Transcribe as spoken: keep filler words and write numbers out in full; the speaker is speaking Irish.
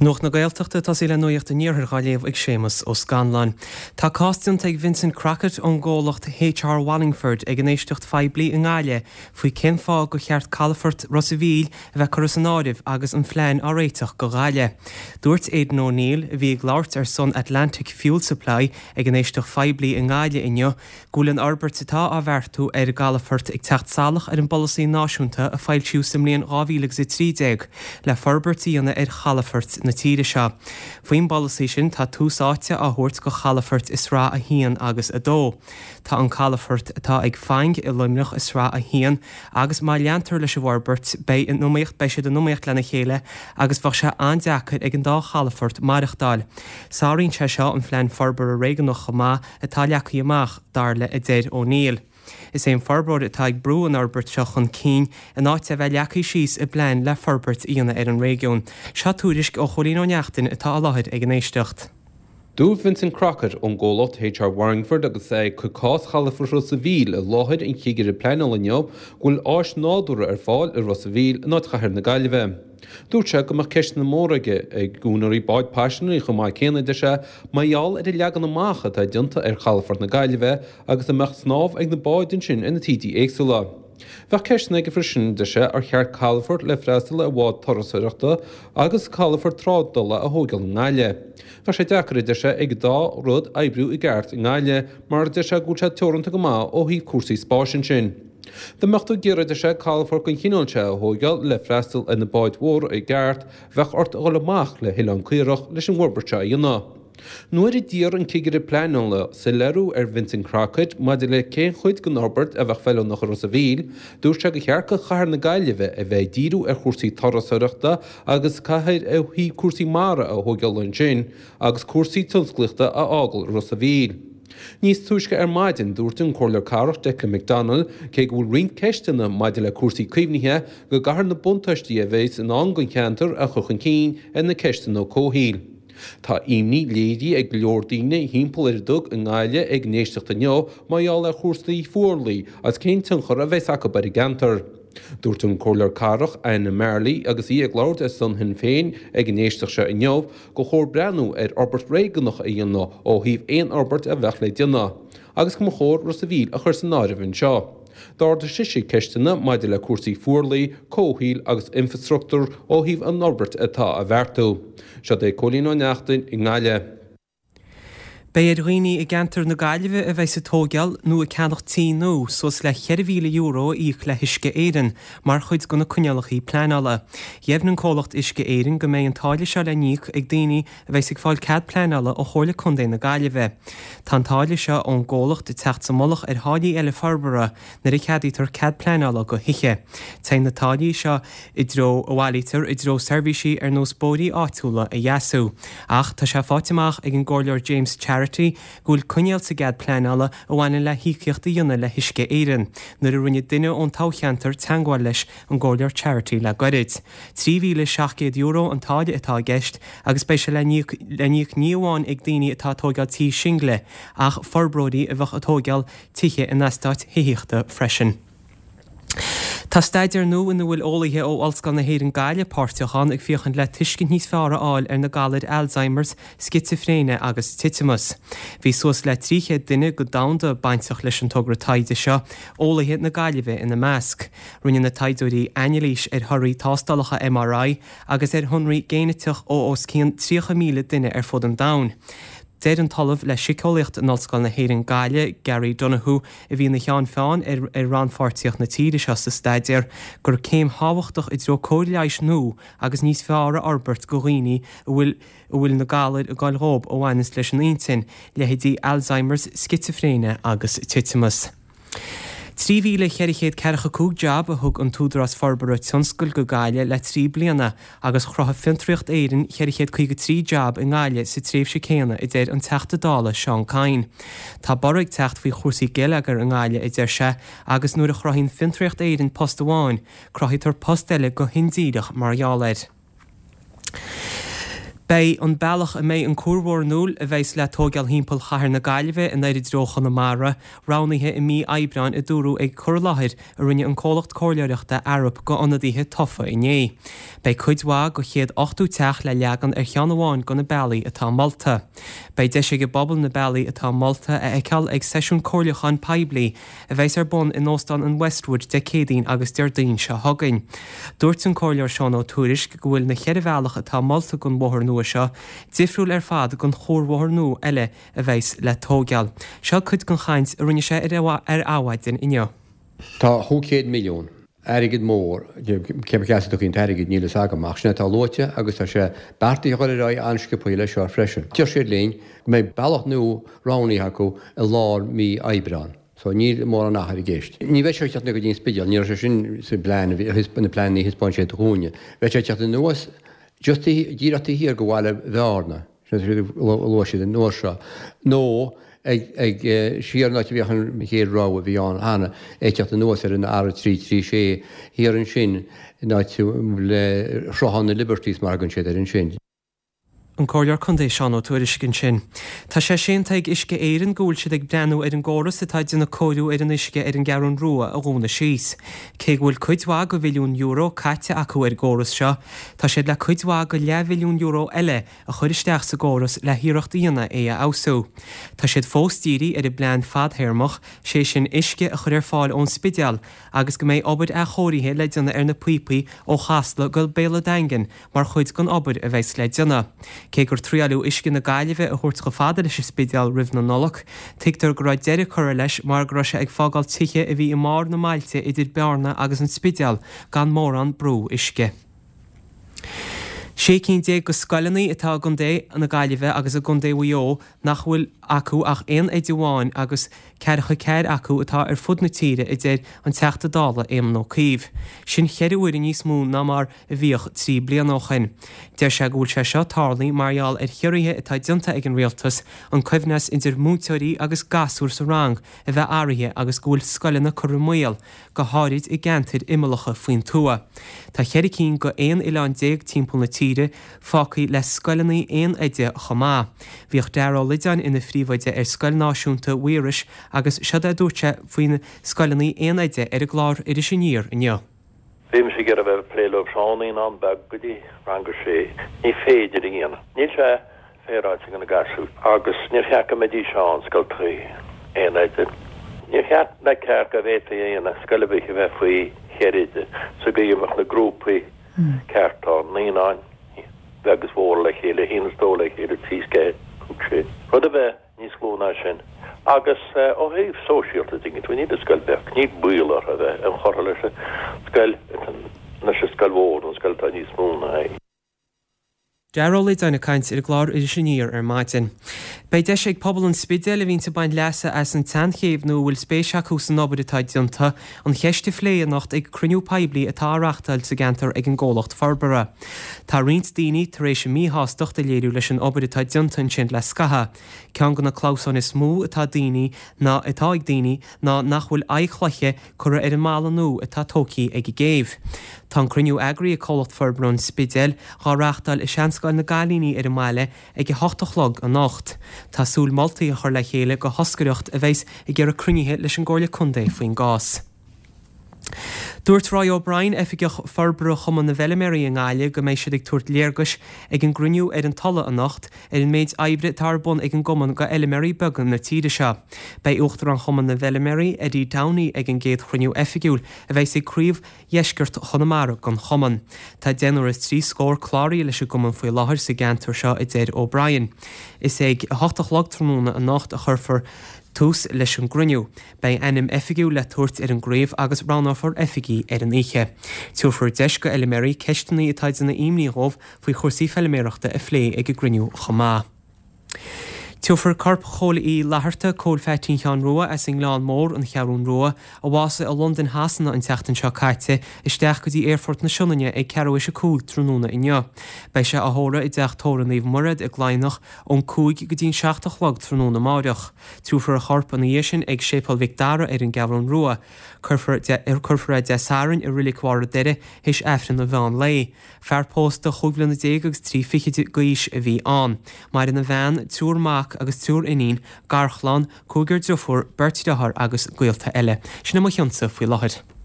Nuacht na Gaeltachta tosaí le Nuacht an Iarthair á léamh ag Séamus Ó Scanláin. Tá cás déanta ag Vincent Crockett ón gcomhlacht HR Wallingford ag an éisteacht phoiblí i nGaillimh faoi cén fáth gur cheart calafort Ros an Mhíl a bheith curtha san áireamh agus an phlean á réiteach go Gaillimh. Dúirt Aidan O'Neill a bhí ag labhairt ar son Atlantic Fuel Supply ag an éisteacht phoiblí i nGaillimh inniu go bhfuil an fhorbairt atá á bheartú ar an gcalafort ag teacht salach ar an bpolasaí náisiúnta a foilsíodh sa mbliain dhá mhíle agus a trí déag le forbairt a dhéanamh ar chalafoirt na tíre seo. Faoin bpolasaí sin tá tús áite á thabhairt go chalafoirt i sraith a haon agus a dó. Tá an calafort atá ag Faing i Luimneach i sraith a haon agus má leantar leis an bhforbairt beidh in iomaíocht beidh siad in iomaíocht lena chéile agus bheadh sé an-deacair ag an dá chalafort maireachtáil. Sáraíonn sé seo an phlean forbartha réigiúnach chomh maith atá leagtha amach dar le a deir O'Neill. Is é an forbróir atá ag brú an fhorbairt seo chun cinn in áit a bheith leagtha síos i bplean le forbairt a dhéanamh ar an réigiún. Seo tuairisc ó Chóilín Ó Neachtain atá i láthair ag an éisteacht. Dúirt Vincent Crockett ón gcomhlacht HR Wallingford agus é ag cur cás chalafort Ros an Mhíl i láthair an chigire pleanála inniu go bhfuil áis nádúrtha ar fáil i Ros an Mhíl in áit chathair na Gaillimhe. Dúirt sé go mbeadh ceisteanna móra aige ag úinéirí báid paisinéirí chomh maith céanna, deir sé, mar gheall ar an leagan amach atá déanta ar chalafort na Gaillimhe agus a mbeadh snámh ag na báid ansin ar na taoidí éagsúla. Bheadh ceisteanna aige freisin, deir sé, ar cheart calafort le freastal ar bháid turasóireachta agus calafort trádála a thógáil i nGaillimh. Bheadh sé deacair, a deir sé, ag an dá rud oibriú i gceart i nGaillimh mar a deir sé go bhfuil sé teoranta go maith ó thaobh cúrsaí spáis ansin. Dá mbeadh tú ag iarraidh, a deir sé, calafort den chineál seo a thógáil le freastal ar na báid mhóra i gceart, bheadh ort a dhul amach le hOileán Caorach leis an bhforbairt seo a dhéanamh. Nuair a d'iarr an cigire pleanála soiléiriú ar Vincent Crockett maidir le cén chuid den fhorbairt a bheadh feiliúnach i Ros an Mhíl, dúirt sé gur cheart do chathair na Gaillimhe a bheith ag díriú ar chúrsaí turasóireachta agus cathair ó thaobh cúrsaí mara a thógáil ansin agus cúrsaí tionsclaíochta a fhágáil i Ros an Mhíl. Níos túisce ar maidin, dúirt an Comhairleoir Cathrach Declan McDonnell, cé go bhfuil roinnt ceisteanna maidir le cúrsaí caomhnaithe, go gcaithfear na buntáistí a bheas i ndán don cheantar a chur chun cinn ar na ceisteanna comhshaoil. Tá imní léirithe ag go leor daoine thimpeall ar an dug i nGaillimh ag an éisteacht inniu mar gheall ar chúrsaí fuarlaigh agus cén tionchar a bheas acu ar an gceantar. Dúirt an Comhairleoir Cathrach Anna Marley agus í ag labhairt ar son Shinn Féin ag an éisteacht seo inniu gur chóir breathnú ar fhorbairt réigiúnach a dhéanamh ó thaobh aon fhorbairt a bheadh le déanamh agus go mba chóir Ros a' Mhíl a chur san áireamh anseo. D'ardaigh sise ceisteanna maidir le cúrsaí fuarlaigh, comhshaoil agus infreastruchtúir ó thaobh an fhorbairt atá á bheartú. Seo é Cóilín Ó Neachtain i nGaillimh. Beidh ar dhaoine i gceantar na Gaillimhe a bheidh ag tógáil nó ag ceannach tí nua suas le ceithre mhíle euro a íoc le hUisce Éireann mar chuid de na coinníollacha pleanála. Dheimhnigh an comhlacht Uisce Éireann go mbeidh an táille seo le n-íoc ag daoine a bheidh ag fáil cead pleanála ó Chomhairle Contae na Gaillimhe. Tá an táille seo ón gcomhlacht ag teacht sa mullach ar tháillí eile forbartha nuair a cheadaítear cead pleanála go thithe. Téann na táillí seo i dtreo a bhailítear i dtreo seirbhísí ar nós bóithrí áitiúla a dheasú. Ach tá sé faighte amach ag an gComhairleoir James Charity go bhfuil coinníoll sa gcead pleanála a bhaineann le híocaíocht a dhéanamh le hUisce Éireann nuair a rinne duine ón toghcheantar teagmháil leis an gComhairleoir Charity le gairid. Trí mhíle seacht gcéad euro an táille atá i gceist agus beidh sé le n-íoc le n-íoc ní amháin ag daoine atá ag tógáil tí single ach forbróirí a bheadh ag tógáil tithe in eastáit thithíochta freisin. Tá staidéar nua ina bhfuil eolaithe ó Ollscoil na hÉireann Gaillimh páirteach ann ag féachaint le tuiscint níos fearr a fháil ar na galair Alzheimer's, scitsifréine agus titimeas. Bhí suas le trí chéad duine go domhanda bainteach leis an togra taighde seo, eolaithe na Gaillimhe ina measc. Rinne na taighdeoirí anailís ar thorthaí tástálacha MRI agus ar shonraí géiniteach ó os cionn tríocha míle duine ar fud an domhain. Deir an tOllamh le Síceolaíocht in Ollscoil na hÉireann Gaillimh, Gary Donoghue, a bhí ina cheann feadhain ar ar rannpháirtíocht na tíre seo sa staidéar, gur céim thábhachtach i dtreo cóir leighis nua agus níos fearr a fhorbairt go dhaoine a bhfuil a bhfuil na galair ag goil dhóibh a bhaineanns leis an intinn, leithéidí Alzheimer's, scitsifréine agus titimeas. Trí mhíle cheithre chéad ceathracha cúig jab a thug an tÚdarás Forbartha Tionscail go Gaillimh le trí bliana agus chruthaigh Fiontraíocht Éireann ceithre chéad caoga trí jab i nGaillimh sa tréimhse céanna, a deir an Teachta Dála Seán Kyne. Tá borradh ag teacht faoi chúrsaí geilleagair i nGaillimh, a deir sé, agus nuair a chruthaíonn Fiontraíocht Éireann post amháin, cruthaítear post eile go hindíreach mar gheall air. Beidh an bealach a mbeidh an cuarbhóthar nua a bheas le tógáil thimpeall chathair na Gaillimhe anoir i dtreo Chonamara roghnaithe i mí Aibreáin a dúradh ag cur i láthair a rinne an comhlacht comhairleoireachta Arup go ionadaithe tofa inné. Beidh cuid mhaith go chéad ochtó teach le leagan ar cheann amháin go na bealaí atá molta. Beidh deis ag an bpobal na bealaí atá molta a fheiceáil ag seisiún comhairliúcháin poiblí a bheas ar bun in Óstán an Westwood Dé Céadaoin agus Déardaoin seo chugainn. Dúirt an comhairleoir Seán Ó Tuairisg go bhfuil na ceithre bhealach atá molta don bhóthar nua seo difriúil ar fad gon chuarbhóthar nua eile a bheas le tógáil. Seo cuid den chaint a rinne sé ar ar Adhmhaidin inniu. Tá chúig chéad milliún airgead mór cé as a dtiocfaidh an t-airgead níl a fhios agam ach sin atá luaite agus tá sé beartaithe a dhul ar aghaidh an-sciobtha leis seo freisin. Deir siad linn go mbeidh bealach nua roghnaithe acu i lár mí Aibreán. So níl mórán achair i gceist. Ní bheidh sé ag teacht go dtí an Spidéal, ní raibh sé sin sa bplean na pleananna a thaispeáin siad dúinne. Bheadh sé ag teacht anuas just díreach taobh thiar go bhaile Bhearna, luaigh siad an uair seo, nó ag ag siar an áit a bhíodh an chéad rogha a bhí ann cheana, ag teacht anuas ar an R trí trí sé thiar ansin in áit le Sruthán na Liberties mar a thugann siad air ansin. An Comhairleoir Contae Seán Ó Tuairisg ansin. Tá sé séanta ag Uisce Éireann go bhfuil siad ag breathnú ar an gcóras atá ag déanamh cóiriú ar an uisce ar an gCeathrú Rua a dhúnadh síos. Cé go bhfuil cuid mhaith go bhilliún euro caite acu ar an gcóras seo, tá siad le cuid mhaith go leathbhilliún euro eile a chur isteach sa gcóras le hiarracht a dhéanamh é a fheabhsú. Tá siad fós dírithe ar an bplean fadthéarmach, sé sin uisce a chur ar fáil ón Spidéal agus go mbeidh obair athchóirithe le déanamh ar na píopaí ó Chasla go Béal an Daingin mar chuid den obair a bheas le déanamh. Cé gur triaileadh uisce na Gaillimhe a thabhairt chomh fada leis an Spidéal roimh na Nollag, tuigtear go raibh deireadh curtha leis mar go raibh sé ag fágáil tithe a bhí i mbarr na mbailte idir Bearna agus an Spidéal gan mórán brú uisce. Sé cinn déag de scoileanna atá i gContae na Gaillimhe agus i gContae Mhaigh Eo nach bhfuil acu ach aon oide amháin agus ceathracha ceathair acu atá ar fud na tíre, a deir an Teachta Dála Éamon Ó Cuív. Sin cheithre huaire níos mó ná mar a bhíodh trí bliana ó shin. Deir sé go bhfuil sé seo tarlaithe mar gheall ar chiorruithe atá déanta ag an rialtas, an coibhneas idir múinteoirí agus gasúir sa rang a bheith athraithe agus go bhfuil scoileanna curtha i mbaol, go háirid i gceantair imeallacha faoin tuath. Tá ceithre cinn go aon oileán déag timpeall na tíre fágtha le scoileanna aon oide chomh maith. Bhíodh Dara Ó Loideáin ina phríomhoide ar Scoil Náisiúnta Mhaorais agus seod é a dúirt sé faoi na scoileanna aon oide ar an gclár Iris Aniar inniu. Bhí mise ag iarraidh a bheith ag plé leo ó naíonán beag go dtí rang a sé. Ní féidir a dhéanamh. Níl sé féaráilte do na gasúir agus níor cheart go mbeidís ann, scoltacha aon oide. Níor cheart ná ceart go bhféadfaí a dhéanamh scoil ar bith a bheith faoi cheithre oide sa gcaoi a mbeadh na grúpaí ceart ann, naíonáin bheag is mhór le chéile, a haon is dó le chéile, trí is ceathair, cúig sé, rud a bheith níos lú ná sin. Agus ó thaobh sóisialta de, níl an scoil beag, níl baol orthu a bheith inchurtha leis an scoil, leis an scoil mhór, an scoil atá níos mó ná é. Dara Ó Loideáin ag caint ar an gclár Iris Aniar ar maidin. Beidh deis ag pobal an Spidéil a bhíonns ag baint leasa as an tSeanchéibh nó a bhfuil spéis acu san obair atá déanta, an cheist a phlé anocht ag cruinniú poiblí atá á reáchtáil sa gceantar ag an gcomhlacht forbartha. Tá roinnt daoine tar éis a míshástacht a léiriú leis an obair atá déanta ansin le scaitheamh. Ceann de na clamhsáin is mó atá daoine ná atá ag daoine ná nach bhfuil aghaidh chloiche curtha ar an mballa nua atá tógtha ag an gcéibh. Tá an cruinniú eagraithe ag Comhlacht Forbartha an Spidéil dhá reáchtáil i Seanscoil na gCailíní ar an mbaile ag a hocht a chlog anocht. Tá súil moltaí a chur le chéile go thoscaireacht a bheas ag iarraidh cruinnithe leis an gComhairle Contae faoin gcás. Dúirt Roy O'Brien, Oifigeach Forbartha Chumann na bhFeilméaraí i nGaillimh, go mbeidh siad ag tabhairt léargais ag an gcruinniú ar an Tulaigh anocht ar an méid oibre atá ar bun ag an gcumann go fheilméaraí beaga na tíre seo. Beidh Uachtarán Chumann na bhFeilméaraí, Eddie Downey, ag an gcéad chruinniú oifigiúil a bheas ag craobh Dheisceart Chonamara den chumann. Tá deichniúr is trí scór cláraithe leis an gcumann faoi láthair sa gceantar seo, a deir O'Brien. Is ag a hocht a chlog tráthnóna anocht a chuirfear tús leis an gcruinniú. Beidh ainm oifigiúil le tabhairt ar an gcraobh agus roghnófar oifigigh ar an oíche. Tabharfar deis go fheilméaraí ceisteanna atá ag déanamh imní dhóibh faoi chúrsaí feilméarachta a phlé ag an gcruinniú chomh maith. Tiúrfar corp Chóil Uí Fhlatharta, Cóil Pheaitín Sheáin Rua as an nGleann Mór, An Cheathrún Rua, a bhásaigh i Londain Shasana an tseachtain seo caite, isteach go dtí Aerfort na Sionainne ag ceathrú théis a cúig tráthnóna inniu. Beidh sé á thórramh i dTeach Tórraimh Naomh Mairéad i gCladhnach ón cúig go dtí an seacht a chlog tráthnóna amáireach. Tiúrfar a chorp ina dhiaidh sin ag Séipéal Mhic Dara ar an gCeathrún Rua. Cuirfear é Dé Sathairn i Reilig Bharr an Doire théis Aifreann an mheán lae. Fear pósta chúig bhliana déag agus trí fichid d'aois a bhí ann. Maireann a bhean, triúr mac agus triúr iníon, garchlann, cúigear driofúr, beirt deartháir agus gaolta eile. Sin é mo chionsa faoi láthair.